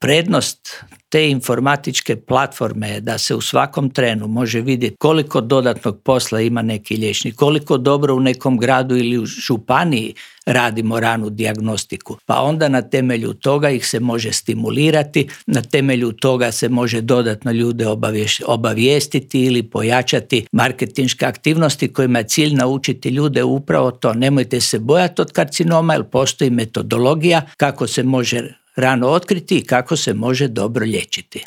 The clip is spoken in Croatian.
Prednost te informatičke platforme je da se u svakom trenu može vidjeti koliko dodatnog posla ima neki liječnik, koliko dobro u nekom gradu ili u županiji radimo ranu dijagnostiku. Pa onda na temelju toga ih se može stimulirati, na temelju toga se može dodatno ljude obavijestiti ili pojačati marketinške aktivnosti kojima je cilj naučiti ljude upravo to. Nemojte se bojati od karcinoma jer postoji metodologija kako se može rano otkriti i kako se može dobro liječiti.